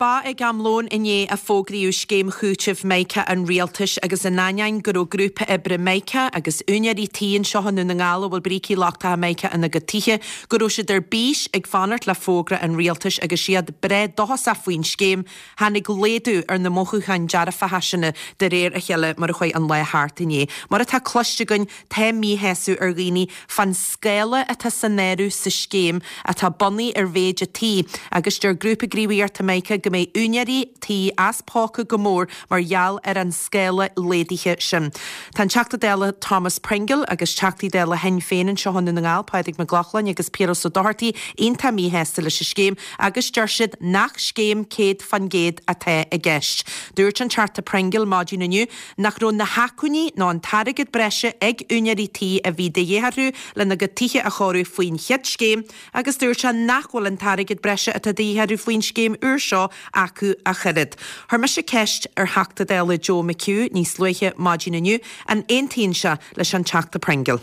ba ag am lóin inné a fógraíodh scéim chúitimh Mica an Rialtais agus in ainneoin go raibh grúpa oibre Mica agus úinéirí tí anseo i nDún na nGall a bhfuil brící lochtacha Mica ina gcuid tithe, go raibh siad ar bís ag fanacht le fógra an Rialtais agus iad breá dóchasach faoin scéim, tháinig laghdú ar na mothúcháin dearfacha sin de réir a chéile mar a chuaigh an lá thart inné. Mar atá cloiste againn, Tá míshásamh ar dhaoine fán scála atá san áireamh sa scéim, atá bunaithe ar mhéid an tí, agus deir Grúpa Gníomhaíochta Mica go mbeidh úinéirí tí as póca go mór mar gheall ar an scála laghdaithe sin. Tá an Teachta Dála Thomas Pringle agus Teachtaí Dála Shinn Féin anseo i nDún na nGall, Pádraig Mac Lochlainn agus Piaras Ó Dochartaigh, iontach míshásta leis an scéim agus deir siad nach scéim 100% atá i gceist. Dúirt an Teachta Pringle maidin inniu nach raibh na hacmhainní nó an t-airgead breise ag úinéirí tí a bhí de dhíth orthu lena gcuid tithe a chóiriú faoin chéad scéim agus dúirt sé nach bhfuil an t-airgead breise atá de dhíth orthu faoin scéim úr seo acu ach oiread. Chuir mise ceist ar Theachta Dála Joe McHugh níos luaithe maidin inniu an aontaíonn sé leis an Teachta Pringle.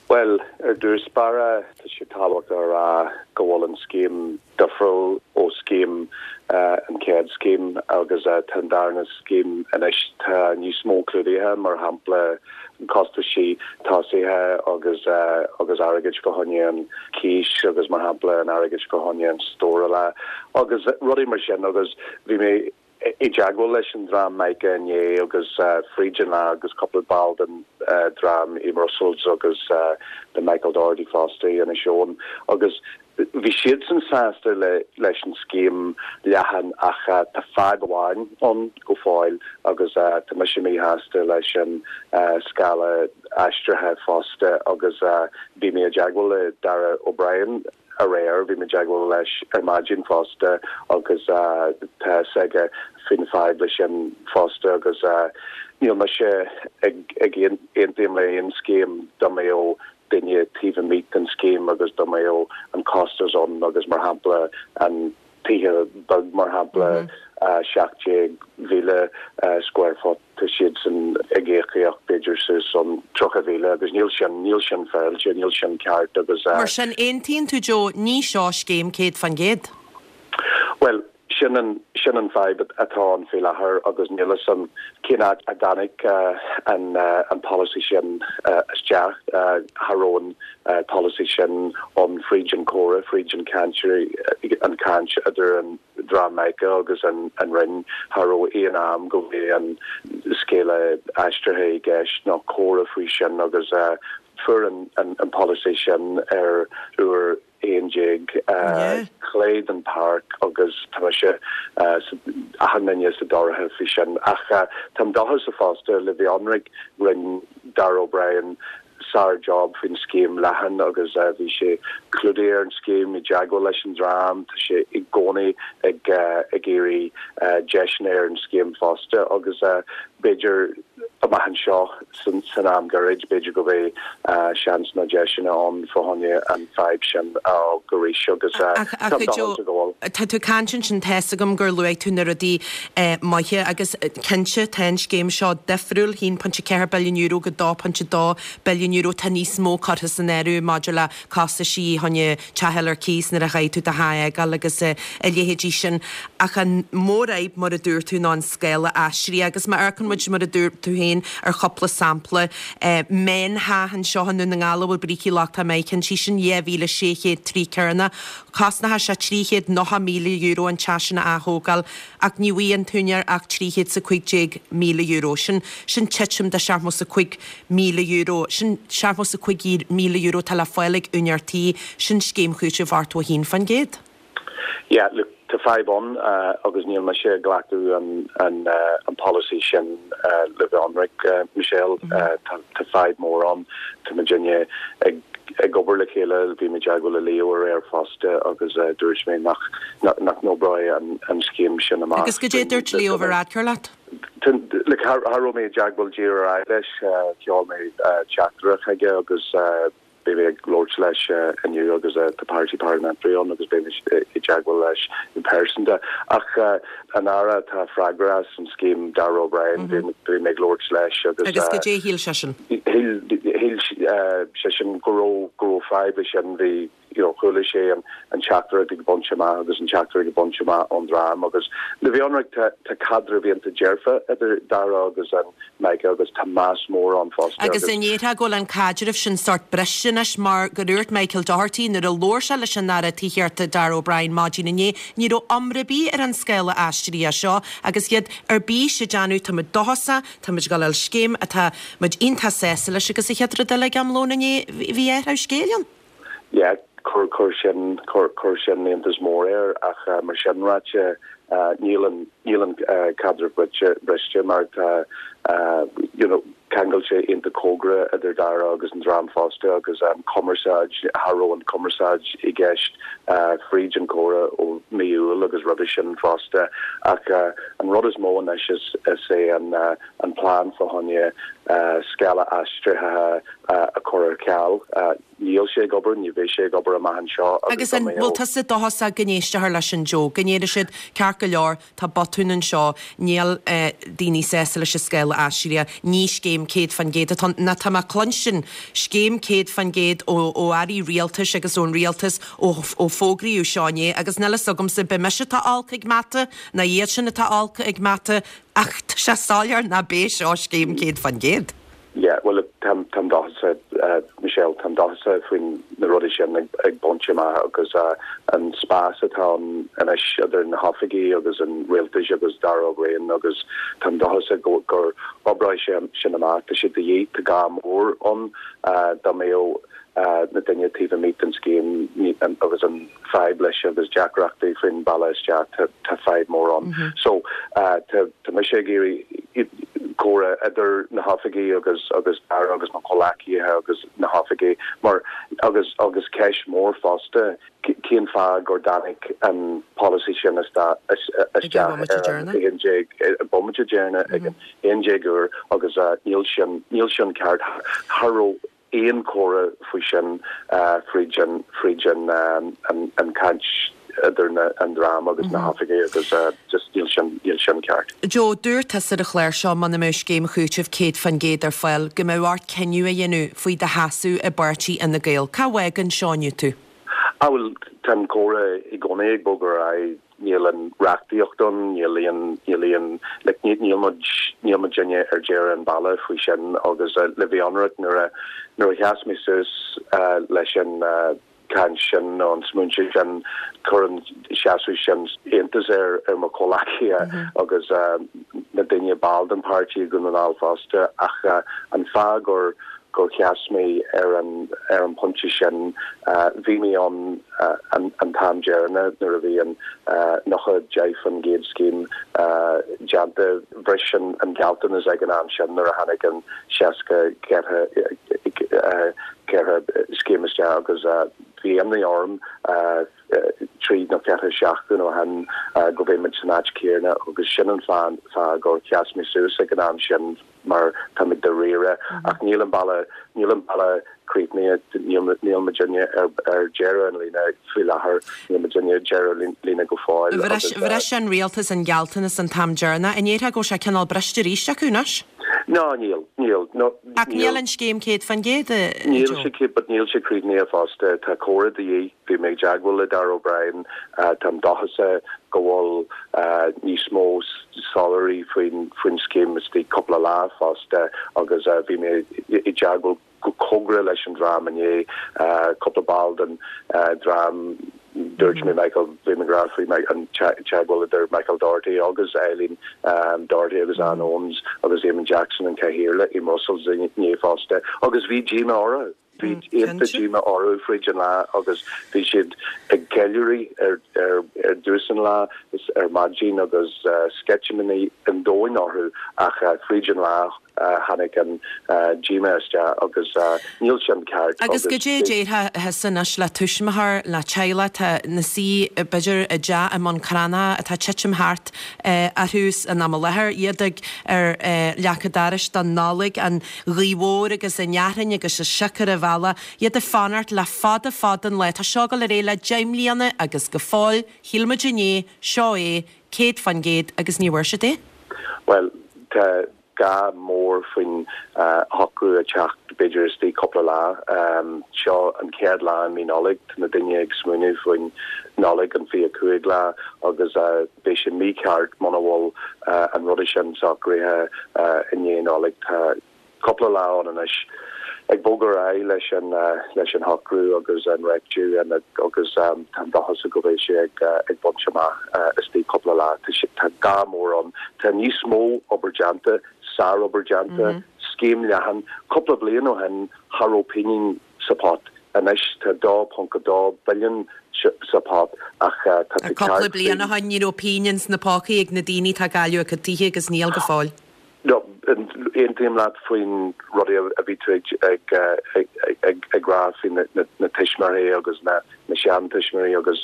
Bhuel, ar dtús báire, tá sé tábhachtach a rá go bhfuil an scéim difriúil ó scéim an chéad scéim agus tá an darna scéim anois, tá níos mó clúdaithe, mar shampla costaisí tosaithe agus agus airgead fá choinne an cíos agus mar shampla an airgead fá choinne an stórála agus rudaí mar sin agus bhí mé i dteagmháil leis an dream Mica inné agus fríd an lá agus cúpla ball den dream i mBrussels agus le Michael Doherty fosta i Inis Eoghain agus bhí siadsan sásta leis an scéim leathan ach tá fadhb amháin ann go fóill agus tá mise míshásta leis an scála aistrithe fosta agus bhí mé i dteagmháil le Darragh O'Brien aréir. Bhí mé i dteagmháil leis ar maidin fosta agus tá fhios aige faoin fadhb leis sin fosta agus níl mise ag aontaím le aon scéim dá mbeadh duine taobh amuigh den scéim agus dá mbeadh an costas ann agus mar shampla an tithe beag mar shampla 17,000 square foot tá siadsan ag íocaíocht b'fhéidir suas an 30,000 agus níl sin, níl sin féaráilte, níl sin ceart agus. Mar sin, aontaíonn tú Joe, ní seo scéim 100%? Bhuel, sin an, sin an fadhb atá ann faoi láthair agus níl fhios a'm cén áit a dtáinig an, an polasaí sin isteach. Cha raibh an polasaí sin ann fríd an comhrá, fríd an chaint, an chaint idir an. dream Mica agus an Roinn, cha raibh aon am go bhfuil an scéala aistrithe i gceist nó comhrá faoi sin agus fuair an polasaí sin ar uair 11 clé den pháirc agus tá mise achan duine sa dorcha faoi sin. Ach táim dóchasach fosta le bheith ionraic, rinne Darragh O'Brien sár job faoin scéim leathan agus bhí sé clúdaithe ar an scéim, i dteagmháil leis an dream, tá sé i gcónaí ag ag iarraidh deiseanna ar an scéim fosta agus b'fhéidir amach anseo san san am gairid b'fhéidir go mbeidh seans nó deiseanna ann fá choinne an fadhb sin a fhág arís agus táim dóchasach go bhfuil. Tá tú ag caint ansin, tá's agam gur luaigh tú na rudaí maithe agus cinnte tá an scéim seo difriúil, €1.4 billiún go €2.2 billiún, tá níos mó curtha san áireamh maidir le costaisí chun teach a fháil ar cíos nuair a chaithfidh tú do theach a fhágáil agus a leithéidí sin. Ach an mhórfhadhb, mar a dúirt tú, ná an scála aistrithe agus má amharcann muid, mar a dúirt tú féin, ar chúpla sampla, meántheach anseo i nDún na nGall a bhfuil brící lochtacha Mica inti, sin 2,600 troigh cearnach, Cosnóidh sé €390,000 an teach sin a ath-thógáil ach ní bhfaighidh an t-úinéir ach €315,000. Sin, sin titim de €75,000. Sin €75,000 atá le fáil ag úinéir tí. Sin scéim chúitimh 81%. Yeah, look, tá fadhb ann agus níl mise ag glacadh an, an, an polasaí sin le bheith ionraic, Michelle. Tá, tá fadhb mór ann. Tá muidinne ag ag obair le chéile, bhí mé i dteagmháil le Leo aréir fosta agus dúirt mé nach nach n-oibreoidh an scéim sin amach. Agus goidé a dúirt Leo Varadkar leat? Like, cha raibh mé i dteagmháil díreach ar aghaidh leis, sheol mé teachtaireacht chuige agus beidh mé ag labhairt leis inniu agus tá Party Parliamentary ann agus beidh mé i dteagmháil leis go pearsanta. Ach an Aire atá freagrach as an scéim, Darragh O'Brien, bhí mé ag labhairt leis agus. Agus goidé a shíl seisean? Shíl seisean go raibh go raibh fadhb leis sin. Bhí. you know chuala sé an an teachtaireacht ag baint amach agus an teachtaireacht ag baint amach ón dream agus le bheith ionraic tá tá caidreamh iontach dearfa idir Darragh agus an Michael agus tá meas mór ann fosta Agus an ndéarfá go bhfuil an caidreamh sin sórt briste anois mar gur dhúirt Michael Doherty nuair a labhair sé leis an Aire Tithíochta Darragh O'Brien maidin inné ní raibh iomrá ar bith ar an scála aistrithe seo agus iad ar bís ag déanamh tá muid dóchasach tá muid ag dul a fháil scéim atá muid iontach sásta leis agus an chéad rud eile ag am lóin inné bhí athrú scéil ann. Yeah, chuir, chuir sin, chuir, chuir sin iontas mór air ach mar sin ráite níl an, níl an caidreamh briste, briste mar tá you know ceangailte iontach cóngarach idir Darragh agus an dream fosta agus an cumarsáid, cha raibh an cumarsáid i gceist fríd an comhrá ó mí Iúil agus roimhe sin fosta ach an rud is mó anois is, is é an an plean fá choinne scála aistrithe a chur ar ceal. Níl sé ag obair, ní bheidh sé ag obair amach anseo agus Agus an bhfuil tusa dóchasach go n-éistfear leis sin Joe, go ndéarfaidh siad, ceart go leor, tá botún anseo, níl daoine sásta leis an scála aistrithe, ní scéim 100% atá ann, nó tá mé ag cluinstin scéim 100% ó ó airí rialtais agus ón rialtas ó ó fógraíodh seo inné agus níl fhios agamsa, b'é mise atá olc ag mata nó iad sin atá olc ag mata ach tá sé soiléir ná b'é seo scéim 100%. Yeah, bhuel, táim, táim dóchasach, Michelle, táim dóchasach faoin na rudaí sin ag, ag baint amach agus an spás atá ann anois idir na hoifigí agus an rialtais agus Darragh O'Brien agus táim dóchasach go, gur oibreoidh sé sin amach. Tá sé de dhíth, tá gá mór ann dá mbeadh na daoine taobh amuigh den scéim agus an fadhb leis agus deacrachtaí faoin bealach isteach, tá fadhb mór ann. So tá mise ag iarraidh comhrá idir na hoifigí agus agus Darragh agus mo chomhleacaithe agus na hoifigí mar agus agus ceist mór fosta cén fáth gur dtáinig an polasaí sin isteach ar an 11 bomaite deireanach ag an 11 uair agus níl sin níl sin ceart. Cha raibh aon chomhrá faoi sin fríd an fríd an an caint idir na an dream agus na hoifigigh agus just níl sin níl sin ceart. Joe, dúirt tusa ar an chlár seo muna mbeadh scéim chúitimh 100% ar fáil go mbeadh ort cinneadh a dhéanamh faoi do sheasamh i bpáirtí Fhine Gael. Cá bhfágann seo inniu tú? Ah bhuel tá an comhrá i gcónaí ag bogadh ar aghaidh. Níl an reachtaíocht ann, níl aon, níl aon, like, níl muid, níl muidinne ar deireadh an bhealaigh faoi sin agus le bheith ionraic nuair a, nuair a sheas mé suas leis an chaint sin nó an smaointe sin, chuir an seasamh sin iontas ar, ar mo chomhleacaithe agus na daoine ball den páirtí i nDún na nGall fosta ach an fáth gur, gur sheas mé ar an ar an bpointe sin. Bhí mé ann an an t-am deireanach nuair a bhí an 90% scéim déanta. Bhris an an gealltanas ag an am sin nuair a tháinig an 64 4 scéim isteach agus bhí imní orm trí nó 4 seachtain ó shin go mbeidh muid san áit céanna agus sin an fáth gur sheas mé suas ag an am sin. mar táimid dáiríre ach níl an bealach, níl an bealach críochnaithe, níl, níl muidinne ar, ar deireadh an líne faoi láthair, níl muidinne ar deireadh líne go fóill agus. Bhris an rialtas an gealltanas an t-am deireanach. An ndéarfá go bhfuil sé cineál briste arís acu anois? No, níl, níl, no, Ach níl an scéim 100%, a Níl sé, but níl sé críochnaithe fosta. Tá comhrá de dhíth. Bhí mé i dteagmháil le Darragh O'Brien. Táim dóchasach go bhfuil níos mó soiléirí faoin faoin scéim istigh cúpla lá fosta agus bhí mé i dteagmháil go cóngarach leis an dream inné, cúpla ball den dream, dúirt mé Michael, bhí mé ag rá faoi an teagmháil idir Michael Doherty agus Eileen Doherty agus Ann Owens agus Eamon Jackson an Cathaoirleach i mBrussels inné fosta agus bhí díomá orthu. Bhí iontach díomá orthu fríd an lá agus bhí siad ag ceiliúradh ar ar dtús an lá is ar maidin agus sceitimíní an domhain orthu ach fríd an lá tháinig an díomá isteach agus níl sin ceart Agus goidé a déarfá thusa anois le tuismitheoir, le teaghlach atá ina suí b'fhéidir i dteach i mBun Cranncha atá titim thart orthu in am i láthair, iad ag ar leac an dorais don Nollaig, an ghaoth mhór agus an fhearthainn agus an sioc ar an bhealach, iad ag fanacht le fada fada an lá. Tá seo ag dul ar aghaidh le 10 mbliana agus go fóill, shíl muid inné, seo é, 100% agus ní bhfuair siad é. Bhuel, tá. gá mór faoin shocrú a teacht b'fhéidir istigh cúpla lá. Seo an chéad lá i mí Nollag, tá na daoine ag smaoineamh faoin Nollaig an 25 lá agus beidh sé mícheart muna bhfuil an ruda sin socraithe i ndiaidh Nollag. Tá cúpla lá ann anois ag bogadh ar aghaidh leis an leis an shocrú agus an réitiú agus táim dóchasach go mbeidh sé ag ag baint amach istigh cúpla lá. Tá sé tá gá mór ann. Tá níos mó obair déanta, sárobair déanta, scéim leathan. Cúpla bliain ó shin cha raibh pingin sa pot. Anois tá 2.2 billiún sa pot ach tá tú ceart Cúpla bliain ó shin ní raibh pingin sna pócaí ag na daoine atá ag cailleadh a gcuid tithe agus níl go fóill. No, aontaím leat faoin rudaí a bhí tú ag rá faoi na tuismitheoirí agus na seantuismitheoirí agus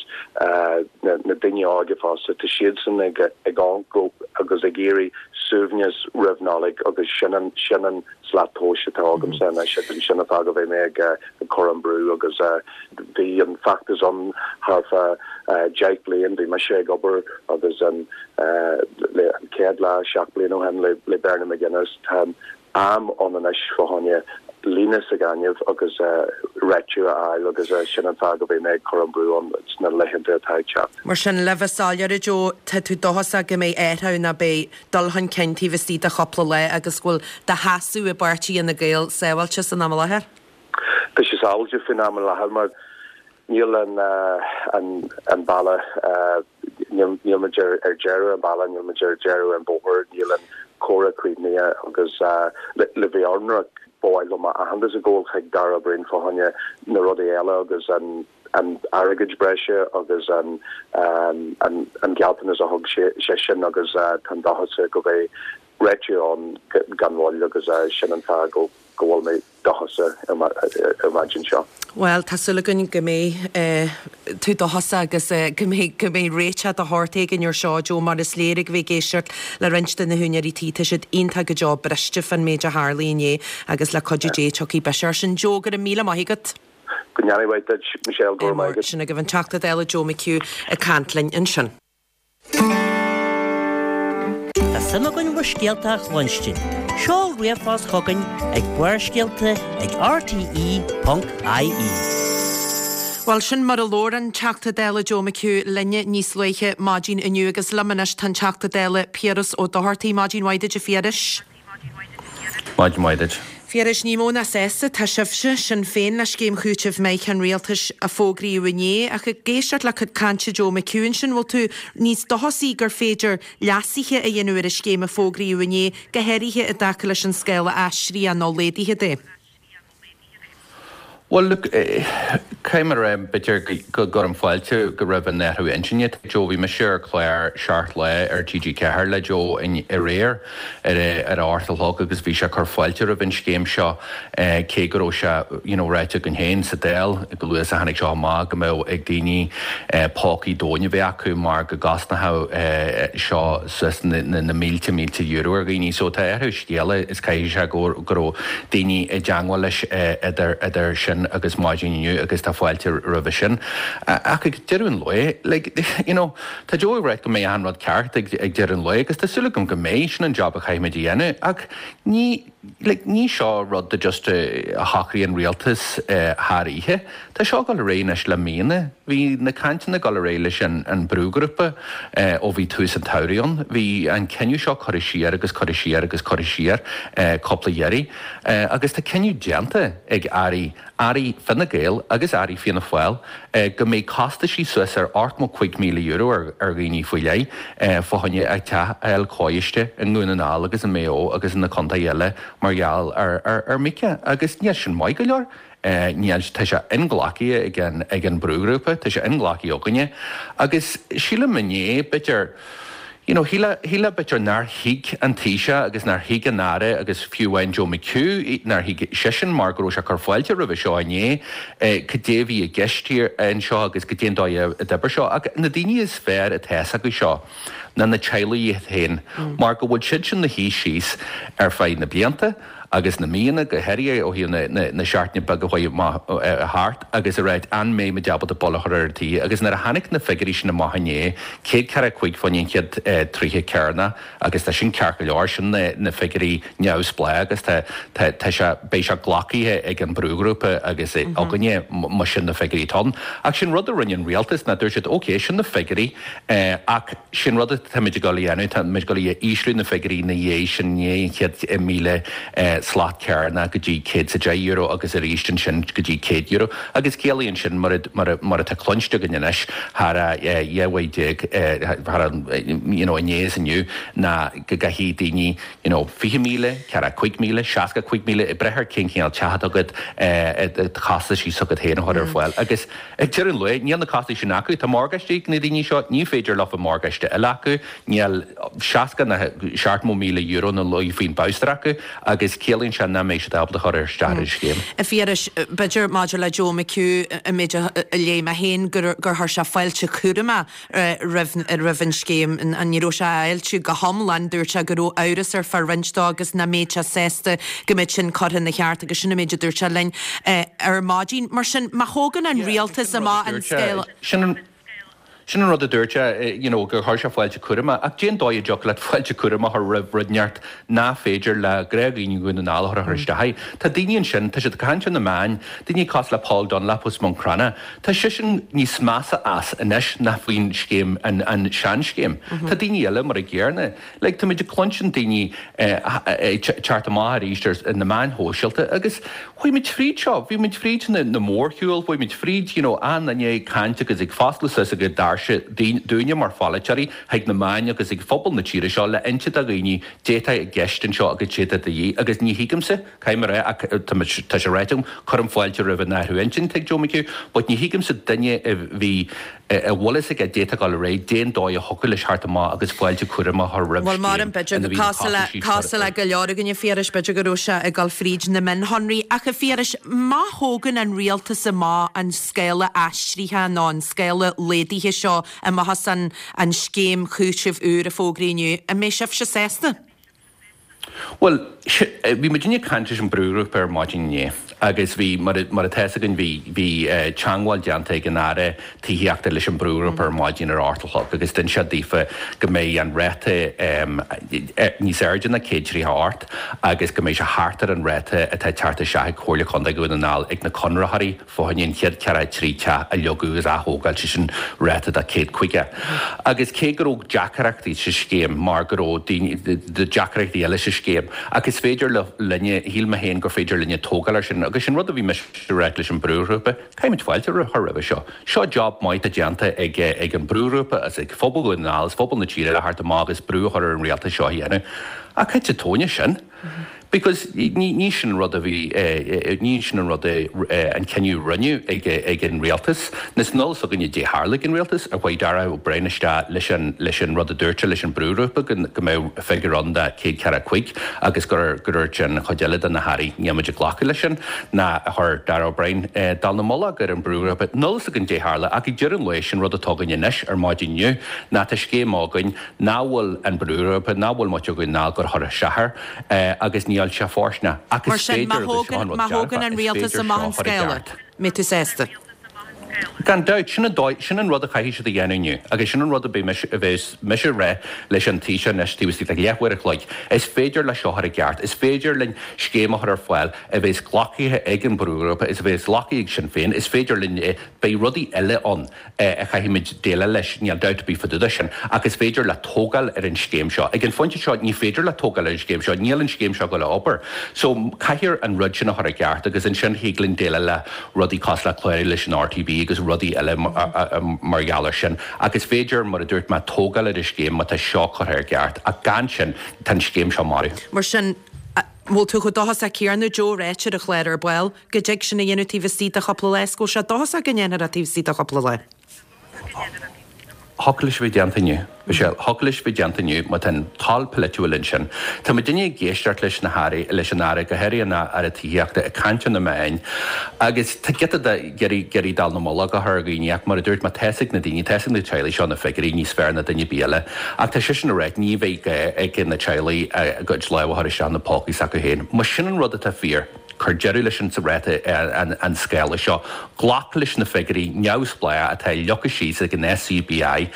na daoine óga fosta. Tá siadsan ag amharc agus ag iarraidh suaimhneas roimh Nollaig agus sin an sin an slat tomhais atá agamsa anois agus sin an fáth go mbeidh mé ag cur an brú agus bhí an feachtas ann thar feadh 10 bliain, bhí mise ag obair agus an le an chéad lá 7 bliain ó shin le Bernie McGuinness. Tá am ann anois fá choinne líne sa ghaineamh agus réitiú a fháil agus sin an fáth go mbeidh mé ag cur an brú ann sna laethanta atá ag teacht. Mar sin, le bheith soiléir, a Joe, tá tú dóchasach go mbeidh athrú nó beidh dul chun cinn taobh istigh de chúpla lá agus go bhfuil do sheasamh i bpáirtí Fhine Gael sábháilte san am i láthair? Tá sé sábháilte faoin am i láthair mar níl an an bealach, níl muid ar deireadh an bealaigh, níl muid ar deireadh an bóthar, níl an comhrá críochnaithe agus le bheith ionraic, ba mhaith liom aitheantas a ghabháil chuig Darragh O'Brien fá choinne na rudaí eile agus an an airgead breise agus an an gealltanas a thug seisean agus táim dóchasach go mbeidh réitiú ann gan mhoill agus sin an fáth go go bhfuil mé dóchasach ar maidin seo. Bhuel, tá súil againn go mbeidh tú dóchasach agus go mbeidh, go mbeidh réiteach de shórt éigin ar seo, Joe, mar is léir ag bheith ag éisteacht le roinnt de na húinéirí tí, tá siad iontach go deo briste fán méid a tharlaigh inné agus le cuidiú Dé tiocfaidh biseach air sin. Joe, go raibh míle maith agat. Go ndéana mhaith duit, Michelle, go raibh maith agat. Sin agaibh an Teachta Dála Joe McHugh ag caint linn ansin. Tá suim againn bhur scéalta a chluinstin. Seol ríomhphost chugainn ag Barrscéalta ag rte.ie. Bhuel, sin mar a labhair an Teachta Dála Joe McHugh linne níos luaithe maidin inniu agus liom anois tá an Teachta Dála Piaras Ó Dochartaigh. Maidin mhaith duit a Phiarais. Maidin mhaith duit. Phiarais, ní mó ná sásta atá sibhse, Sinn Féin, le scéim chúitimh Mica an Rialtais a fógraíodh inné, ach ag éisteacht le cuid cainte Joe McHugh ansin, bhfuil tú níos dóchasaí gur féidir leasuithe a dhéanamh ar an scéim a fógraíodh inné, go háirithe i dtaca leis an scála aistrithe nó laghdaithe de? Bhuel, look, caithfidh mé a rá, b'fhéidir go gcuirim fáilte go raibh an athrú intinne ag Joe. Bhí mise ar chlár Seacht Lá ar TG4 le Joe aréir ar a 8 a chlog agus bhí sé ag cur fáilte roimh an scéim seo cé go raibh sé you know ráite againn féin sa Dáil go luath is a tháinig seo amach go mbeadh ag daoine pócaí domhain a bheith acu mar go gcosnódh seo suas na mílte mílte euro ar dhaoine. So tá athrú scéala is caithfidh sé go raibh daoine i dteangmháil leis idir idir sin agus maidin inniu agus tá fáilte roimhe sin. Ach ag deireadh an lae, like, you know, tá Joe ag ráit go mbeidh achan rud ceart ag ag deireadh an lae agus tá súil agam go mbeidh, sin an job a chaithfimid a dhéanamh ach ní, like, ní seo rud a just a shocraigh an rialtas thar oíche. Tá seo ag dul ar aghaidh anois le míonna. Bhí na cainteanna ag dul ar aghaidh leis an brúghrúpa ó bhí tús an tsamhraidh ann. Bhí an cinneadh seo curtha siar agus curtha siar agus curtha siar cúpla iarraidh agus tá cinneadh déanta ag airí, airí Fine Gael agus airí Fianna Fáil, go mbeidh costaisí suas ar €85,000 ar dhaoine faoi leith fá choinne a dteach a fháil cóiste i nDún na nGall agus i Maigh Eo agus ina contaetha eile mar gheall ar Mica agus níl sin maith go leor. Níl, tá sé inghlactha ag an, ag an brúghrúpa, tá sé inghlactha againne agus sílim inné, b'fhéidir, you know, shílfeá, shílfeá b'fhéidir nár thuig an Taoiseach agus nár thuig an Aire agus fiú amháin Joe McHugh, nár thuig seisean mar go raibh sé ag cur fáilte roimhe seo inné, cad é a bhí i gceist anseo agus cad é an dóigh a d'oibir seo. Ach na daoine is fearr atá fhios acu seo ná na teaghlaigh iad féin mar go bhfuil siadsan ina shuí síos ar feadh na blianta. agus na míonna, go háirithe ó thaobh na seachtaine beaga a chuaigh amach thart agus a ráit an mbeidh muid ábalta buille a chur ar an tae agus nuair a tháinig na figiúirí sin amach inné, 145 fá choinne an chéad 30 cearnach agus tá sin ceart go leor, sin na figiúirí neamhspleách agus tá tá sé, beidh sé glactha ag an brúghrúpa agus againne má sin na figiúirí atá ann. Ach sin rud a rinne an rialtas ná dúirt siad ok, sin na figiúirí ach sin rud atáimid ag dul a dhéanamh, táimid ag dul a ísliú na figiúirí ina dhiaidh sin, i ndiaidh an chéad 1,000 slat cearnach go dtí €110 agus arís ansin go dtí €100 agus ciallaíonn sin mar mar atá cluinste againn anois thar a 12 mhaith thar an you know inné is inniu ná go gcaithfidh daoine you know 20,000, 45,000, 65,000 ag brath ar cén cineál teach atá agat costaisí s'agat féin a chur ar fáil agus Ag deireadh an lae, níl na costais sin acu. Tá morgáistí ag na daoine seo, ní féidir leofa morgáiste a eile acu, níl 60 ná €70,000 ina luí faoin bholster acu agus ciallaíonn sé nach mbeidh siad ábalta chur isteach ar an scéim. A Phiarais, b'fhéidir maidir le Joe McHugh, an méid a léigh mé féin, gur chuir sé fáilte chúramach roimh an scéim. Ní raibh sé á fháiltiú go hiomlán, dúirt sé go raibh amhras air fá roinnt dó agus nach mbeadh sé sásta go mbeadh sin curtha ina cheart agus sin an méid a dúirt sé linn ar maidin. Mar sin, má thógann an rialtas amach an scéal. Sin an rud a dúirt sé, you know, gur chuir sé fáilte cúramach. Ach cén dóigh a dtiocfadh leat fáilte cúramach a chur roimh rud inteacht nach féidir le gnáthdhaoine Dhún na nGall a chur isteach air? Tá daoine ansin, tá siad ag caint ar na meáin, daoine cosúil le Paul Dunlop as Maigh Chromtha, Tá seisean níos measa as anois ná faoin scéim, an seanscéim. Tá daoine eile mar a gcéarna. Like, táimid ag cluinstin daoine ag teacht amach arís ar na meáin shóisialta agus chuaigh muid fríd seo, bhí muid fríd na mórshiúil, chuaigh muid fríd, you know, achan duine ag caint agus ag foscladh suas a gcuid doirse dúinne mar pholaiteoirí chuig na meáin agus ag phobal na tíre seo le inse do dhaoine dé tá i gceist anseo agus dé tá de dhíth agus ní thuigimse Caithfidh mé a rá, ach tá sé ráite agam, cuirim fáilte roimh an athrú intinn atá ag Joe McHugh, but ní thuigimse duine a bhí, a bhfuil fhios aige dé tá ag dul ar aghaidh, dén dóigh a thiocfadh leis theacht amach agus fáilte cúramach a chur roimh Bhuel, mar an scéim ina bhí na costaisí cosúil le go leor againn a Phiarais, b'fhéidir go raibh sé ag dul fríd na mionshonraí. Ach a Phiarais, má thógann an rialtas amach an scála aistrithe nó an scála laghdaithe seo amach as an scéim chúitimh úr a fógraíodh inniu, an mbeidh sibhse sásta? Bhuel, bhí muidinne ag caint leis an brúghrúpa ar maidin inné agus bhí, mar atá fhios againn, bhí, bhí teangmháil déanta ag an Aire Tithíochta leis an brúghrúpa ar maidin ar a hocht a chlog agus d'inis sé daofa go mbeidh an ráta níos airde ná 138 agus go mbeidh sé thart ar an ráta atá ag teacht isteach ag Comhairle Contae Dhún na nGall ag na conraitheoirí fá choinne an chéad 43 teach a leagadh agus a athógáil, sé sin ráta de 150. Agus cé go raibh deacaireachtaí sa scéim, mar go raibh daoine, deacaireachtaí eile sa scéim, ach is féidir linne, shíl mé féin gur féidir linne tógáil air sin. Agus sin rud a bhí mise a ráit leis an brúghrúpa, caithfimid fáilte a chur roimhe seo. Seo job maith atá déanta ag ag an brúghrúpa agus ag phobal Dhún na nGall agus phobal na tíre le theacht amach agus brú a chur ar an rialtas seo a dhéanamh. Ach thit sa tóin as sin. Because ní sin an rud a bhí, ní sin an rud é an cinneadh a rinneadh ag an rialtas. Níl a fhios againne dé tharla ag an rialtas, ar chuaigh Darragh O'Brien isteach leis an leis an rud a dúirt sé leis an brúghrúpa go go mbeadh figiúr ann de 145 agus gur gur dúirt an chuid eile de na hairí níl muid ag glacadh leis sin, nó ar chuir Darragh O'Brien dallamullóg ar an brúghrúpa. Níl a fhios againn dé tharla ach ag deireadh an lae sin rud atá againn anois ar maidin inniu ná tá scéim againn nach bhfuil an brúghrúpa, nach bhfuil muid againn ná gur chuir isteach air agus níl sé fóirsteanach. Ach Mar is sin, má féidir, agus seo an rud má thógann dearfa, an is rialtas féidir amach seo an a chur i scála, gceart. mbeidh tú sásta? Gan dabht, sin an dóigh, sin an rud a chaithfidh siad a dhéanamh inniu agus sin an rud a bheidh mise, a bheas mise a rá leis an Taoiseach anois taobh istigh de leathuair a chloig. Is féidir le seo a chur i gceart, is féidir linn scéim a chur ar fáil a bheas glactha ag an brúghrúpa is a bheas glactha ag Sinn Féin, is féidir linn, beidh rudaí eile ann. a chaithfimid déileáil leis, níl dabht ar bith fá dtaobh de sin, ach is féidir leat tógáil ar an scéim seo. Ag an phointe seo, ní féidir leat tógáil ar an scéim seo, níl an scéim seo ag dul a obair. So, caithfear an rud sin a chur i gceart agus ansin thig linn déileáil le rudaí cosúil le clárú leis an RTB agus rudaí eile mar gheall air sin. Ach is féidir, mar a dúirt mé, tógáil ar an scéim má tá seo curtha ar ceart, ach gan sin, tá an scéim seo marbh. Mar sin, an bhfuil tú chomh dóchasach céanna, Joe, ráite ar an chlár ar ball? Go dtig sin a dhéanamh taobh istigh de chúpla lá, is go bhfuil sé dóchasach go ndéanfar é taobh istigh de chúpla lá. Thiocfadh leis a bheith déanta inniu. Michelle, Thiocfadh leis a bheith déanta inniu má tá an toil polaitiúil ansin. Tá muidinne ag éisteacht leis na hairí, leis an Aire, go háirithe an Aire Tithíochta, ag caint ar na meáin agus tá giota de ag iarraidh dallamullóg a chur ar dhaoine ach mar a dúirt mé, tá fhios ag na daoine, tá fhios ag na teaghlaigh seo na figiúirí níos fearr ná duine ar bith eile. Ach tá seisean ag rá ní bheidh gá ag na teaghlaigh a gcuid lámh a chur isteach ina bpócaí s'acu féin. Más sin an rud atá fíor, Cuir deireadh leis an ráta an scála seo. Glac leis na figiúirí neamhspleácha atá leagtha síos ag an SCBI.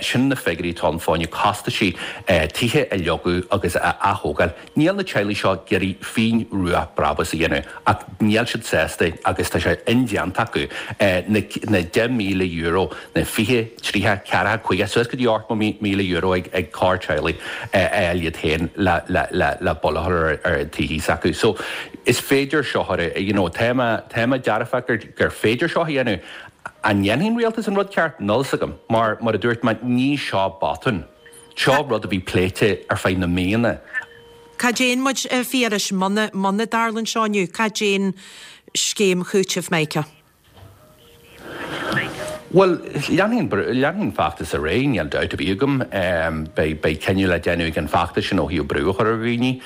Sin na figiúirí atá ann fá choinne costaisí tithe a leagadh agus a ath-thógáil. Níl na teaghlaigh seo ag iarraidh phingin rua brabús a dhéanamh ach níl siad sásta agus tá sé indéanta acu na €10,000 na 20, 30, 40, 50, suas go dtí €80,000 ag corr-teaghlaigh a fháil iad féin le buille a chur ar an tithí s'acu. So, is féidir seo a, you know, tá mé, tá mé dearfach gur, gur féidir seo a dhéanamh. An ndéanfaidh an rialtas an rud ceart? Níl 'fhios agam. Mar, mar a dúirt mé, ní seo botún. Seo rud a bhí pléite ar feadh na míonna. Cad é an muid, a Phiarais, muna, muna dtarlaíonn seo inniu, cad é an scéim chúitimh Micah? Bhuel, leanfaidh an feachtas ar aghaidh, níl dabht ar bith agam. Beidh beidh cinneadh le déanamh ag an bhfeachtas sin ó thaobh brú a chur ar dhaoine.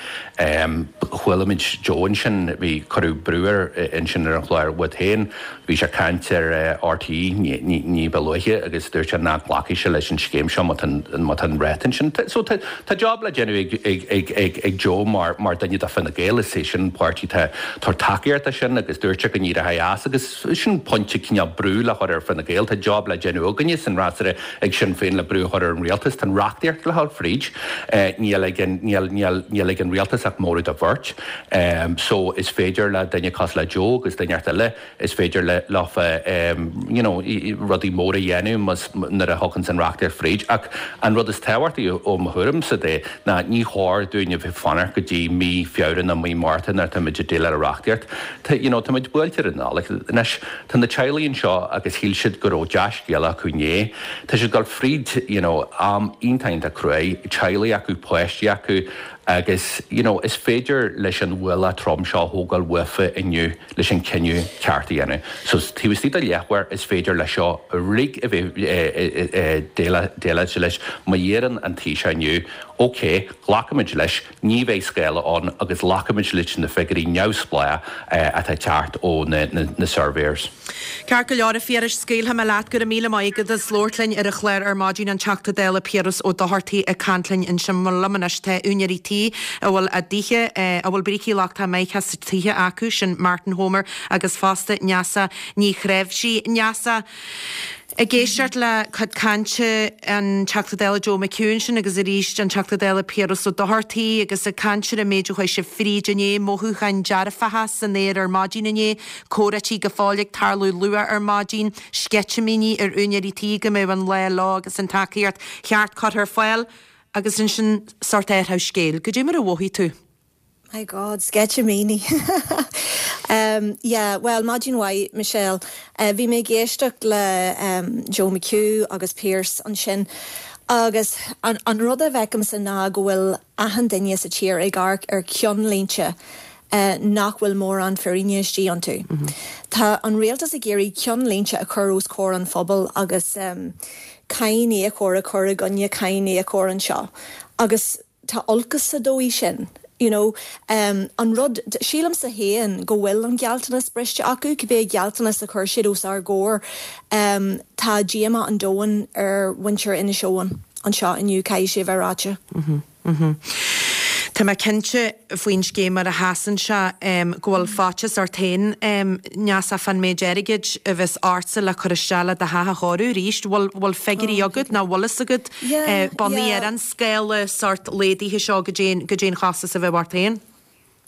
Chuala muid Joe ansin, bhí, cuireadh brú air ansin ar an chlár uait féin. Bhí sé ag caint ar RTÉ ní ba luaithe agus dúirt sé nach nglacfaidh sé leis an scéim seo má tá má tá an ráta ansin. So tá tá job le déanamh ag ag ag ag ag Joe mar mar duine de Fine Gael, is é sin an páirtí atá tabhairt tacaíocht dó sin agus dúirt sé go n-éireoidh as agus sin pointe cineál brú le chur ar Fine Gael. Tá job le déanamh againne san fhreasúra ag Sinn Féin le brú a chur ar an rialtas. Tá an reachtaíocht le dhul fríd. Níl ag an, níl, níl, níl ag an rialtas ach móramh de bheirt. So is féidir le duine cosúil le Joe agus duine inteacht eile Is féidir leofa you know rudaí móra a dhéanamh más nuair a thiocfann's an reachtaíocht fríd. Ach an rud is tábhachtaí ó mo thuairimse de ná ní chóir dúinn a bheith ag fanacht go dtí mí Feabhra nó mí Márta nuair atáimid ag déileáil le reachtaíocht. Tá you know táimid buailte ar an Nollaig anois. Tá na teaghlaigh anseo agus shíl siad go raibh dea-scéala acu inné. Tá siad ag dul fríd you know am iontach iontach cruaidh, teaghlaigh acu, páistí acu agus you know is féidir leis an ualach trom seo a thógáil uafa inniu. leis an cinneadh ceart a dhéanamh. So taobh istigh de leathuair is féidir leis seo uilig a bheith déileáilte leis. Má iarrann an Taoiseach inniu, ok, glacfaimid leis, ní bheidh scála ann agus glacfaimid leis na figiúirí neamhspleácha atá ag teacht ó na surveyors. Ceart go leor, a Phiarais, scaoilfidh mé leat. Go raibh míle maith agat as labhairt linn ar an chlár ar maidin, an Teachta Dála Piaras Ó Dochartaigh ag caint linn ansin. Liom anois tá úinéirí tí a bhfuil a dtithe, a bhfuil brící lochtacha Mica sa tithe acu, sin Martin Homer agus fosta Neasa Ní Chnáimhsí. Neasa, ag éisteacht le cuid cainte an Teachta Dála Joe McHugh ansin agus arís an Teachta Dála Piaras Ó Dochartaigh agus ag caint ar an méid a chuaigh sibh fríd inné, mothúcháin dearfacha san aer ar maidin inné, Comhráití go fóill ag tarlú luath ar maidin, sceitimíní ar úinéirí tí go mbeadh an lá leo agus an tacaíocht cheart curtha ar fáil agus ansin sórt athrú scéil. Goidé mar a mhothaigh tú? My God, sceitimíní. Umm yeah, bhuel, maidin mhaith, Michelle. Bhí mé ag éisteacht le Joe McHugh agus Pearse ansin agus an rud a bhfeicimse ná go bhfuil achan duine sa tír ag amharc ar cheannlínte nach bhfuil mórán fírinne istigh iontu. Tá an rialtas ag iarraidh ceannlínte a chur os comhair an phobail agus cáiníocóir a chur i gcoinne cáiníocóir anseo agus tá olcas sa dóigh sin. You know, an rud, sílimse féin go bhfuil an gealltanas briste acu, cibé gealltanas a chuir siad os ár gcomhair. Tá díomá an domhain ar mhuintir Inis Eoghain anseo inniu, caithfidh sé a bheith ráite. Tá mé cinnte faoin scéim mar a sheasann sé go bhfuil faitíos ort féin, Neasa, fán méid airgid a bheas ortsa le cur isteach le do theach a chóiriú arís. Bhfuil bhfuil figiúirí agat nó bhfuil fhios agat bunaithe ar an scála sórt laghdaithe seo goidé goidé an costas a bheadh ort féin?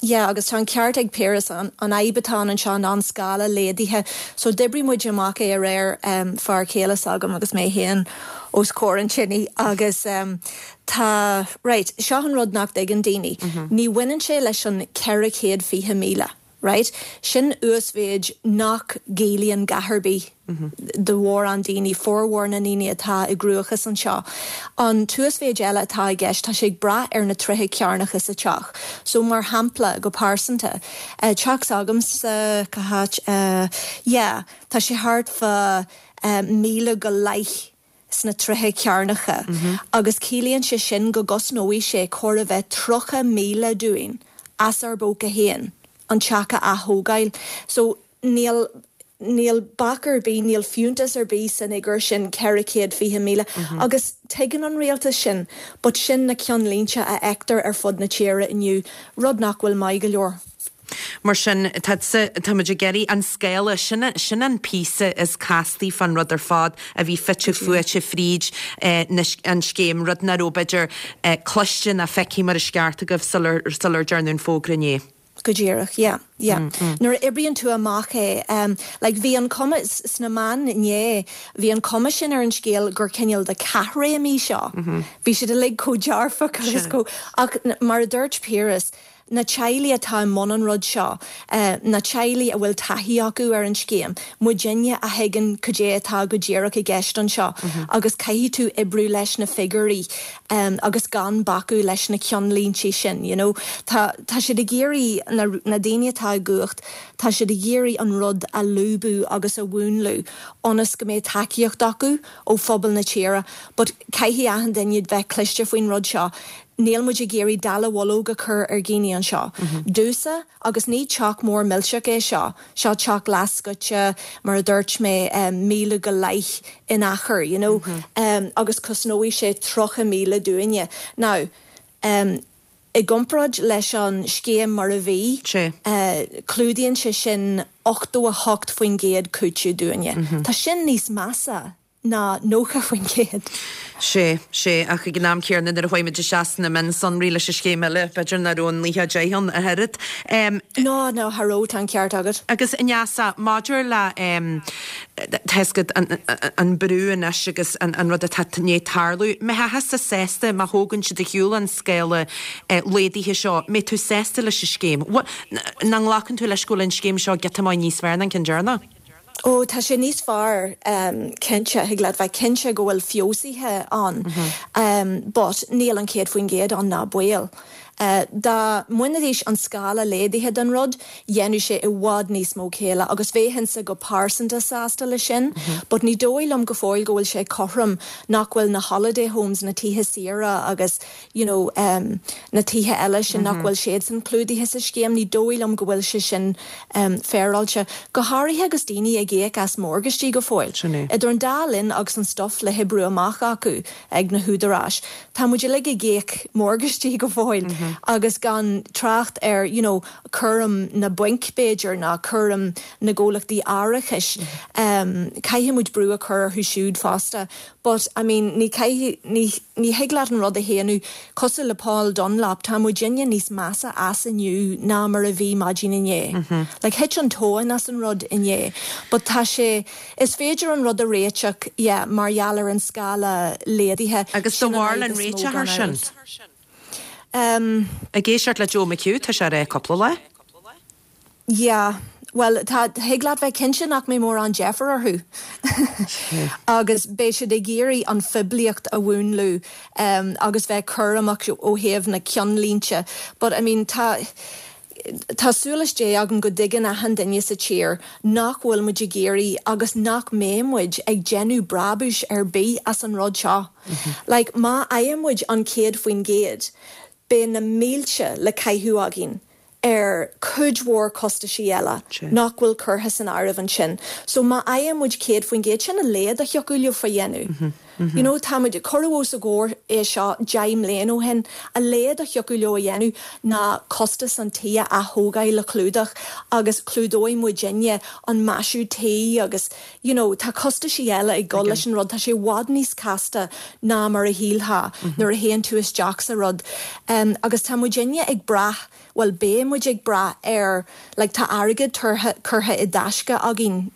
Yeah, agus tá an ceart ag Piaras, an fhadhb atá ann anseo ná an scála laghdaithe. So d'oibrigh muid amach é aréir, fear céile s'agam agus mé féin os comhair an tine agus tá, right, seo an rud nach dtuigeann daoine, ní bhaineann sé leis an 420,000, right? Sin uasmhéid nach gciallaíonn a dhath ar bith. do mhórán daoine, formhór na ndaoine atá i gcruachás anseo. An t-uasmhéid eile atá i gceist, tá sé ag brath ar na tréithe cearnacha sa teach. So, mar shampla, go pearsanta, teach s'agamsa, cá háit, yeah, tá sé thart fá míle go leith. sna troithe cearnacha agus ciallaíonn sé sin go gcosnóidh sé chóir a bheith 30,000 dúinn as ár bpóca féin an teach a ath-thógáil. So níl, níl bac ar bith, níl fiúntas ar bith san fhigiúr sin, 420,000. Agus tuigeann an rialtas sin, but sin na ceannlínte a fheictear ar fud na tíre inniu, rud nach bhfuil maith go leor. Mar sin, tá, táimid ag iarraidh an scála, sin, sin an píosa is castaí fán rud ar fad a bhí fite fuaite fríd na, an scéim, rud nach raibh, b'fhéidir, cloiste ná feicthe mar is ceart agaibh sular, sular dearnadh an fógra inné. Go díreach, yeah, yeah. Nuair a oibríonn tú amach é, like bhí an cuma, sna meáin inné, bhí an cuma sin ar an scéal gur cineál de caithréim í seo. Bhí siad uilig chomh dearfach agus chomh, ach mar a dúirt Piaras, na teaghlaigh atá i mbun an rud seo, na teaghlaigh a bhfuil taithí acu ar an scéim, muidinne a thuigeann cad é atá go díreach i gceist anseo agus caithfidh tú oibriú leis na figiúirí agus gan bacadh leis na ceannlínte sin, you know. Tá, tá siad ag iarraidh, na, na daoine atá i gcumhacht, tá siad ag iarraidh an rud a lúbadh agus a mhúnlú ionas go mbeidh tacaíocht acu ó phobal na tíre but caithfidh achan duine bheith cliste faoin rud seo. Níl muid ag iarraidh dallamullóg a chur ar dhaoine anseo. Domhsa, agus ní teach mór millteach é seo, seo teach leathscoite, mar a dúirt mé, míle go leith in achar, you know, agus cosnóidh sé 30,000 dúinne. Now, i gcomparáid leis an scéim mar a bhí, clúdaíonn sé sin 88% cúiteamh dúinne. Tá sin níos measa ná 90%. Sea, sea, ach ag an am céanna nuair a chuaigh muid isteach sna mionsonraí leis an scéim eile, b'fhéidir nach raibh an 90 ann ach oiread. No, no, cha raibh, tá an ceart agat. Agus Neasa, maidir le, tá fhios agat, an brú anois agus an rud atá i ndiaidh tarlú, mbeifeása sásta má thógann siad ar shiúl an scála laghdaithe seo, mbeidh tú sásta leis an scéim? An nglacann tú leis go bhfuil an scéim seo giota maith níos fearr ná an ceann deireanach? Ó, tá sé níos fearr, cinnte, thig leat bheith cinnte go bhfuil feabhsuithe ann, but níl an 100% ann ná baol. Dá mbainfidís an scála laghdaithe den rud, dhéanfadh sé i bhfad níos mó céille agus bheinnse go pearsanta sásta leis sin, but ní dóigh liom go fóill go bhfuil sé cothrom nach bhfuil na holiday homes, na tithe saoire agus you know na tithe eile sin nach bhfuil siadsan clúdaithe sa scéim, ní dóigh liom go bhfuil sé sin féaráilte. Go háirithe agus daoine ag íoc as morgáistí go fóill. Sin é. Idir an dá linn agus an stuif le hoibriú amach acu ag na húdaráis, tá muid uilig ag íoc morgáistí go fóill agus gan trácht ar you know cúram na bainc b'fhéidir ná cúram na gcomhlachtaí árachais. Caithfidh muid brú a chur orthu siúd fosta. But, I mean, ní caithfidh, ní, ní thig leat an rud a shéanadh. Cosúil le Paul Dunlop, tá muidinne níos measa as inniu ná mar a bhí maidin inné. Like, thit an tóin as an rud inné. But tá sé, is féidir an rud a réiteach, yeah, mar gheall ar an scála laghdaithe. Agus do Sin an bharúil fhadhb an is mó réiteach gan ar sin? amhras. Um. Ag éisteacht le Joe McHugh, tá sé á rá cúpla lá. Yeah, bhuel, tá, thig leat bheith cinnte nach mbeidh mórán deifir orthu. Agus beidh siad ag iarraidh an phoiblíocht a mhúnlú agus bheith cúramach ó thaobh na ceannlínte. But, I mean, tá, tá súil as Dé agam go dtuigeann achan duine sa tír nach bhfuil muid ag iarraidh agus nach mbeidh muid ag déanamh brabúis ar bith as an rud seo. Like, má fhaigheann muid an 100%, beidh na mílte le caitheamh againn ar cuid mhór costaisí eile nach bhfuil curtha san áireamh ansin. So má fhaigheann muid 100%, sin a laghad a thiocfadh leo a dhéanamh. You know, tá muid, cuireadh os a gcomhair é seo 10 mbliana ó shin, a laghad a thiocfadh leo a dhéanamh ná costas an tí a ath-thógáil a chlúdach agus clúdóidh muidinne an maisiú tí agus, you know, tá costaisí eile ag dul leis an rud, tá sé i bhfad níos casta ná mar a shílfeá nuair a théann tú isteach sa rud. Agus tá muidinne ag brath, bhuel beidh muid ag brath ar, like tá airgead curtha i dtaisce againn,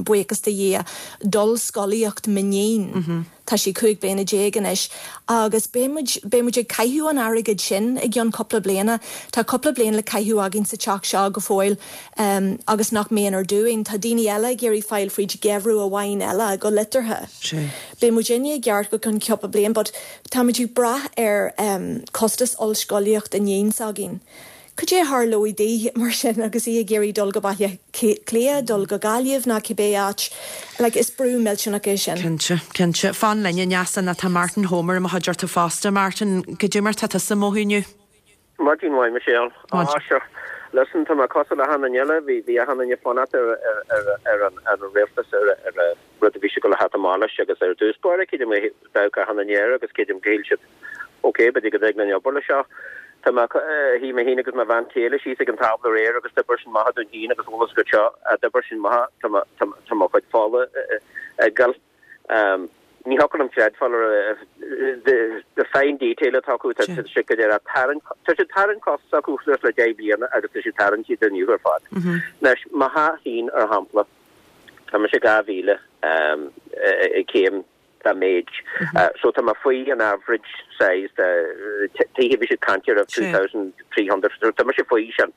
buíochas do Dhia, d'ollscolaíocht m'iníon. Tá sí 15 bliana anois agus beidh muid, beidh muid ag caitheamh an airgid sin i gceann cúpla bliana. Tá cúpla bliain le caitheamh againn sa teach seo go fóill agus nach méanar dúinn. Tá daoine eile ag iarraidh fáil fríd geimhreadh amháin eile, go liteartha. Beidh muidinne i gceart go ceann cúpla bliain but tá muid ag brath ar costas ollscolaíocht iníon s'againn. Cad é a tharlóidh di mar sin agus í ag iarraidh dul go Baile Átha Cliath, dul go Gaillimh ná cibé áit? Like, is brú millteanach é sin. Cinnte, cinnte. Fan linn, a Neasa, nó tá Martin Homer i mo chuideachta fosta. Martin, goidé mar tá tusa ag mothú inniu? Maidin mhaith, Michelle. Ah, sure. Listen, tá mé cosúil le achan duine eile. Bhí, bhí achan duine ag fanacht ar, ar, ar, ar an, ar an rialtas, ar, ar an rud a bhí siad ag dul a theacht amach leis agus ar dtús báire, creidim, d'amharc achan duine air agus creidim go shíl siad, ok, b'fhéidir go dtig linn obair le seo. Tá mé, shuigh mé féin agus mo bhean chéile síos ag an tábla aréir agus d'oibir sin maith dúinn féin agus eolas agat seo, d'oibir sin maith, tá mo, tá, tá mo chuid fola ag gol. Ní thiocfadh liom creidbheáil ar the, the fine detail atá acu, tá siad go léir ag tarraingt, tá siad tarraingt costas acu suas le 10 bliana agus tá siad tarraingt iad inniu ar fad. Anois, mo theach féin, ar shampla, tá mise 2,000 céim dá méid. So tá mé faoi an average size de tithe a bhí siad ag caint air of 2,300, so tá mise faoi sin.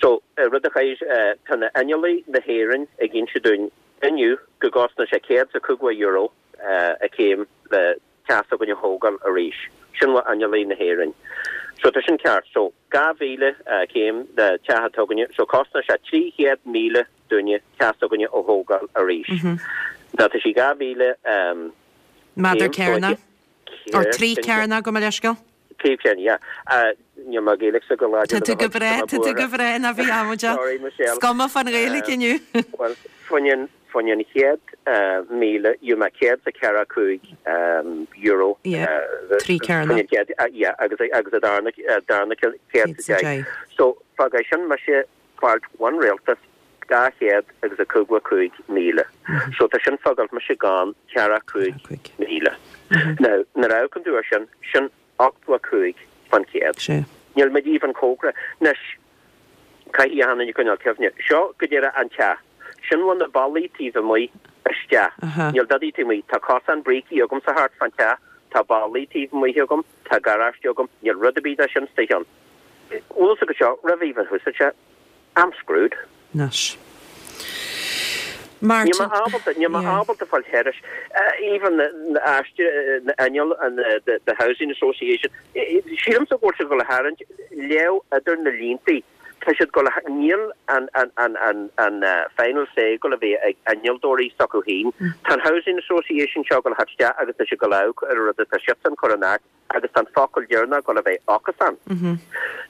So rud a chaith, tá na innealtóirí na hÉireann ag inse dúinn inniu go gcosnóidh sé €150 a céim le teach s'againne a thógáil arís. Sin ó innealtóirí na hÉireann. So tá sin ceart. So 2,000 céim de teach atá againne, so cosnóidh sé 300,000 dúinne teach s'againne a thógáil arís. Now tá sí 2,000 céim. Méadar cearnach? Or 3 cearnach, gabh mo leithscéal? 3 cearnach, yeah. Níl mo Ghaeilge go láidir. Tá tú go breá, tá tú go breá, ná bí amaideach. Sorry, Michelle. Is cuma fán Ghaeilge inniu. Bhuel, faoin, faoin an chéad 1,000, gheobhaidh mé €145. Yeah, 3 cearnach. Faoin an chéad, yeah, agus, agus a darna, darna 110. So, fágfaidh sin mise fáilt ón rialtas 255,000. So tá sin fágáilt mise gan 45,000. Now, nuair a amharcann tú ar sin, sin 85%. Níl muid even cóngarach. Anois, caithfidh achan duine coinneáil cuimhne. Seo go díreach an teach. Sin bhfuil na ballaí taobh amuigh isteach. Níl dadaí taobh amuigh. Tá cosán brící agamsa thart fán teach. Tá ballaí taobh amuigh agam. Tá garáiste agam. Níl rud ar bith de sin istigh ann. Bhfuil fhios agat seo, roimh even thús sé, I'm screwed. Anois. Níl Martin. mé ábalta, níl mé Yeah. ábalta fáil thairis. Even na aiste, na inneall and the, the housing association, sílimse go bhfuil siad ag dul a tharraingt, léamh idir na línte, tá siad ag dul a, níl an, an, an, an, an final say ag dul a bheith ag innealtóirí s'acu féin. Tá an housing association seo ag dul a theacht isteach agus tá siad ag dul a amharc ar an rud atá siadsan cur in áit. agus tá an focal deireanach ag dul a bheith acusan.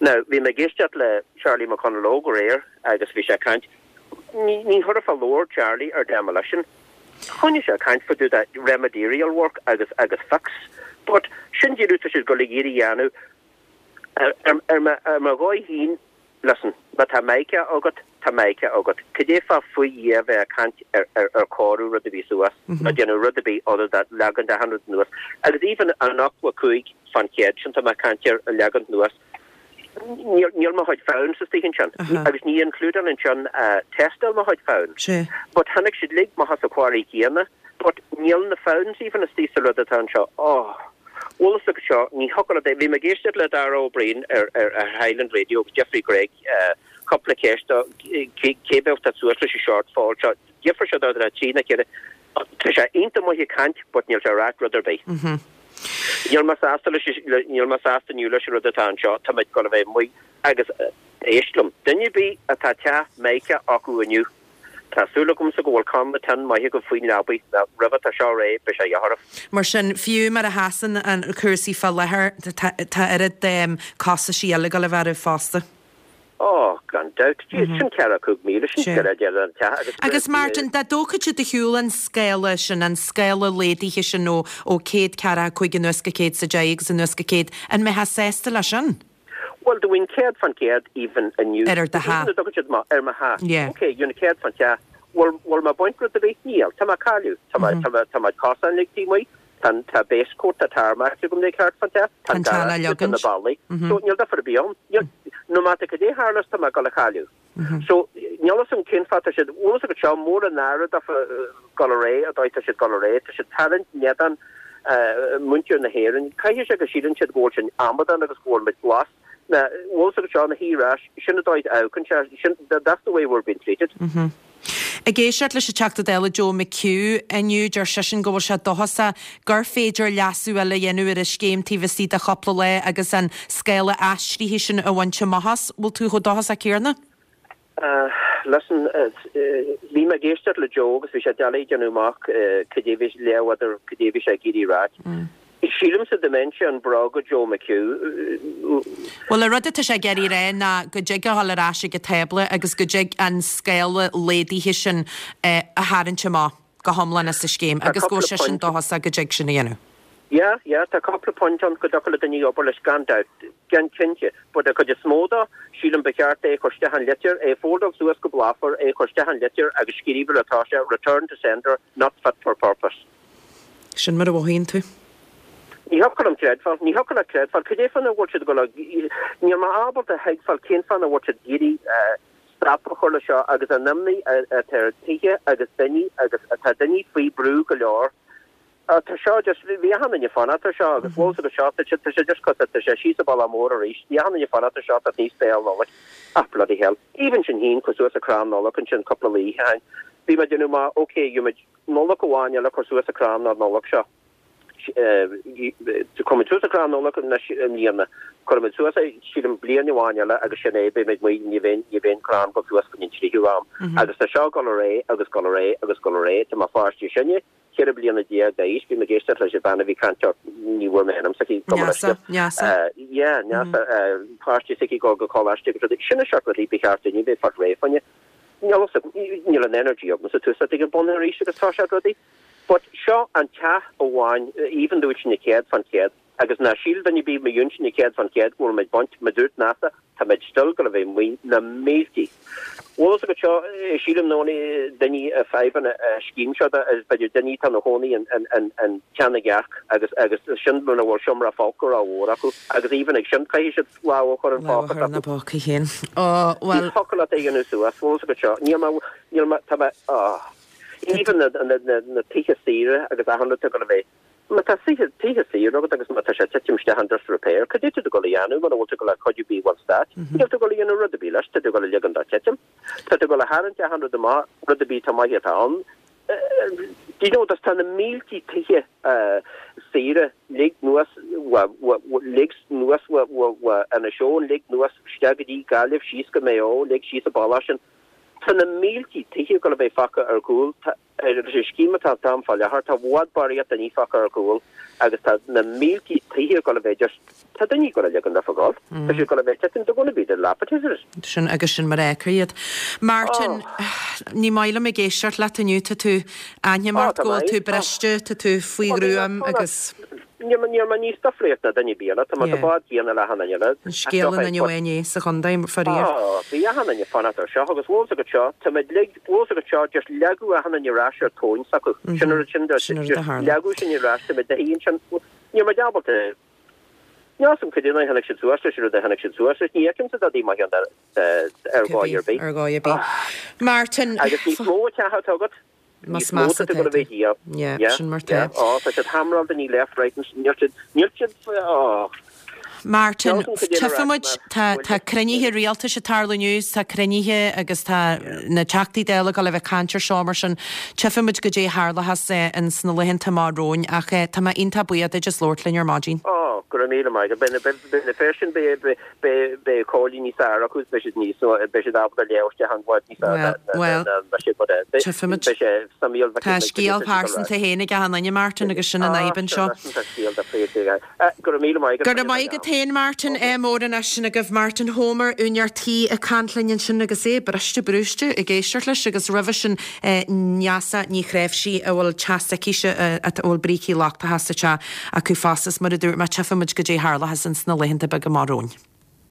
Now, bhí mé ag éisteacht le Charlie McConalogue aréir agus bhí sé ag caint, ní, ní thabharfá labhair Charlie ar demolition. Choinnigh sé ag caint fá dtaobh de remedial work agus, agus fix. But sin díreach tá siad ag dul ag iarraidh a dhéanamh ar, ar, ar mo, ar mo dhóigh féin, Listen, má tá mica agat, tá mica agat. Cad é fáth faoi Dhia bheith ag caint ar ar cóiriú rud ar bith suas, ná déanamh rud ar bith other than leagaint achan rud anuas. Agus even an 85% sin tá mé ag caint air a leagaint anuas, níl níl mo chuid founds istigh ansin. Agus ní includeáil ansin tástáil mo chuid founds. But tháinig siad uilig amach as an quarry céanna, but níl na founds even istigh sa rud atá anseo. Oh. Bhfuil fhios agat seo, ní thiocfadh leat é. Bhí mé ag éisteacht le Dara Ó Briain ar Highland Radio agus d'fhiafraigh Greg cúpla ceist dó, cé bheadh teacht suas leis an shortfall seo. D'fhiafraigh sé dó de trína chéile. Tá sé iontach maith ag caint but níl sé ag ráit rud ar bith. Níl mé sásta leis, níl mé sásta inniu leis an rud atá anseo. Tá muid ag dul a bheith amuigh agus éist liom, duine ar bith atá teach Mica acu inniu, Tá súil agamsa go bhfuil canna tin maith agaibh faoin leabaidh, nó roimh atá seo réidh, beidh sé a dhíth oraibh. Mar sin, fiú mar a sheasann an cúrsaí fá láthair, tá oiread costaisí eile ag dul a bheith oraibh fosta. Ó, gan dabht. Sin 45,000, sin go leor an teach agus. Agus Martin, dá dtógfadh siad de shiúl an scála sin, an scála laghdaithe sin ó 145 anuas go 110 agus anuas go 100, an mbeifeá sásta leis sin? Bhuel, do bhain 100% even inniu. Ar do theach. Even a dtugann siad amach ar mo theach. Yeah. Ok, you know, 100%. Bhfuil, bhfuil mé ag baint rud ar bith? Níl. Tá mé ag cailleadh. Tá mé, tá mé, tá mé cosán ligtí amuigh. Tá an, tá base coat, tá tarmac agam le ceart fán teach. Tá Tá an an teach le garáiste, tá na leagaint. ballaí. So, níl difear ar bith ann. Níl, no matter cad é a tharlós, tá mé ag dul a chailleadh. So, níl fhios agam cén fáth tá siad, bhfuil fhios agat seo, mór an náire daofa dul ar aghaidh, an dóigh tá siad dul ar aghaidh, tá siad tarraingt in éadan muintir na hÉireann. Caithfidh sé go síleann siad go bhfuil sinn amadán agus go bhfuil muid glas. Na, bhfuil fhios agat seo, na hIorais, sin an dóigh a amharcann sé, sin, that's the way we're being treated. Ag éisteacht leis an Teachta Dála Joe McHugh inniu, deir seisean go bhfuil sé dóchasach gur féidir leasú eile a dhéanamh ar an scéim taobh istigh de chúpla lá agus an scála aistrithe sin a bhaint amach as. Bhfuil tú chomh dóchasach céanna? Listen, bhí mé ag éisteacht le Joe agus bhí sé doiligh déanamh amach cad é bhí, léamh idir cad é bhí sé ag iarraidh ráit. Sílimse dá mbeinnse in bróga Joe McHugh. Bhuel, an rud atá sé ag iarraidh a rá ná go dtig a dhul ar ais ag an tábla agus go dtig an scála laghdaithe sin a tharraingt amach go hiomlán as an scéim Tá agus go cúpla bhfuil seisean pointe. dóchasach go dtig sin a dhéanamh. Yeah, yeah, tá cúpla pointe ann go dtiocfadh le duine obair leis gan dabht, gan cinnte, but an chuid is mó de, sílim ba cheart é a chur isteach an litir, é a foldáil suas go bláfar, é a chur isteach an litir agus scríobh ar atá sé, return to sender, not fit for purpose. Sin mar a mhothaíonn tú. Ní thiocfadh liom creidbheáil, ní thiocfadh leat creidbheáil, cad é fáth nach bhfuil siad ag dul a, níl mé ábalta a thuigbheáil cén fáth nach bhfuil siad ag iarraidh stop a chur le seo agus an imní atá ar tithe agus daoine agus tá daoine faoi brú go leor. Tá seo just, bhí achan duine fanacht ar seo agus bhfuil fhios agat seo, tá sé, tá sé just cosúil, tá sé síos an bealach mór arís, bhí achan duine fanacht ar seo, tá níos béal Nollag. Ah bloody hell. Even sinn féin chuir suas an crann Nollag ansin cúpla lá ó shin. Bhí mé ag déanamh amach, ok, gheobhaimid Nollaig amháin eile cur suas an crann an Nollaig seo. Cuirfimid suas an crann Nollag anois i mbliana. Cuirfimid suas é, sílim, bliain amháin eile agus sin é, beimid amuigh, ní bheidh, ní bheidh an crann ag dul suas go dtí an tríú am. Agus tá seo ag dul ar aghaidh agus ag dul ar aghaidh agus ag dul ar aghaidh. Tá mo pháistí sinne, 14 bliana d'aois, bhí mé ag éisteacht leis an bhean a bhí ag caint, ní bhfuair mé ainm s'aici, gabh mo Neasa, leithscéal. Neasa. Yeah, Neasa, páistí s'aici ag dul go coláiste agus rudaí. Sin an seort rudaí ba cheart duine a bheith fáil réidh fá choinne. Níl fhios agam, níl an energy agamsa tús ag an bun arís agus tá sé rudaí. But seo an teach amháin, even dúirt sinne 100% agus ná síl duine ar bith má dúirt sinne 100% go bhfuil muid baint, mar dúirt Neasa, tá muid still gonna bheith amuigh na míltí. Bhfuil fhios agat seo, sílim nó duine a fadhbanna a scéim seo is b'fhéidir duine atá ina chónaí in Teach na gCearc agus agus sin muna bhfuil seomra folctha rómhór acu agus even ag sin caithfidh siad lámh a chur in Lámh a póca chur ina s'acu. bpóca féin. Ó, Ní bhuel. thiocfadh leat é a dhéanamh suas, bhfuil fhios agat seo. Níl mé, níl mé, tá mé, ó. Even na, na, na, na tithe saoire agus achan rud atá ag dul a bheith, má tá tithe, tithe saoire agat agus má tá sé ag titim isteach in disrepair, cad é tá tú ag dul a dhéanamh muna bhfuil tú ag dul le cuidiú ar bith ón stát? Níl tú ag dul a dhéanamh rud ar bith leis, tá tú ag dul a ligean dó titim. Tá tú ag dul a tharraingt achan rud amach, rud ar bith atá maith atá ann. Do you know, tá na míltí tithe saoire lig anuas, lig anuas Inis Eoghain, lig anuas isteach go dtí Gaillimh, síos go Maigh Eo, lig síos an bealach sin. Tá na míltí tithe ag dul a bheith fágtha ar gcúl. Leis an scéim atá ann fá láthair, tá i bhfad barraíocht daoine fágtha ar gcúl agus tá na míltí tithe ag dul a bheith just, tá daoine ag dul a ligean daofa gabháil. Tá siad ag dul a bheith titim, they're gonna be dilapidated. Sin agus sin mar a fheicfear iad. Martin, ní maith liom ag éisteacht leat inniu, tá tú, aithním ort go bhfuil tú briste, tá tú faoi ghruaim agus. Níl mé, níl mé níos difríocht ná duine ar bith eile, tá mé sa bád céanna le achan duine eile. An scéal in inniu é sa chontae, faraor. Á, bhí achan duine ag fanacht ar seo agus bhfuil fhios agat seo, tá muid lig, bhfuil fhios agat seo, just leagadh achan duine ar ais ar tóin s'acu. Sin an rud sin, just leagadh sinn ar ais, tá muid de ansin, níl muid ábalta, níl fhios agam cad é a tháinig siad suas leis an rud a tháinig siad suas leis, ní fheicimse dadaí maith ann ar dhóigh ar bith. Ar dhóigh ar bith. Martin. Agus níos mó teach atá agat, Níos measa atá tú. Yeah, sin mar tá. Á, tá siad hamráil daoine left, right and níl siad, níl siad, á. Martin, tchífidh muid, tá, tá cruinnithe rialtais ag tarlú inniu, tá cruinnithe agus tá na Teachtaí Dála ag dul a bheith ag caint ar seo mar sin tchífidh muid goidé a tharlóchas ins na laethanta amach romhainn ach tá mé iontach buíoch duit as labhairt linn ar maidin. Á, go raibh míle maith agat. Beidh na, beidh na fir sin, beidh, beidh, Beidh beidh comhairle níos fearr acu, beidh siad níos, beidh siad ábalta léamh isteach an bhfad níos fearr Well, ná ná siad mar é. tchífimid. Beidh sé suimiúil bheith Tá scéal pearsanta féin ag achan duine, Martin, agus sin an fhadhb anseo. Tá scéal de phríomh Go raibh míle maith agat. Go raibh maith agat féin, Martin. Ádh mór anois sin agaibh. Martin Homer, úinéir tí ag caint linn ansin agus é briste brúiste ag éisteacht leis agus roimhe sin Neasa Ní Chnáimhsí a bhfuil teach s'aicise a bhfuil brící lochtacha sa teach acu fosta. Is mar a dúirt mé, tchífidh muid goidé a tharlóchas ins na laethanta beaga amach romhainn.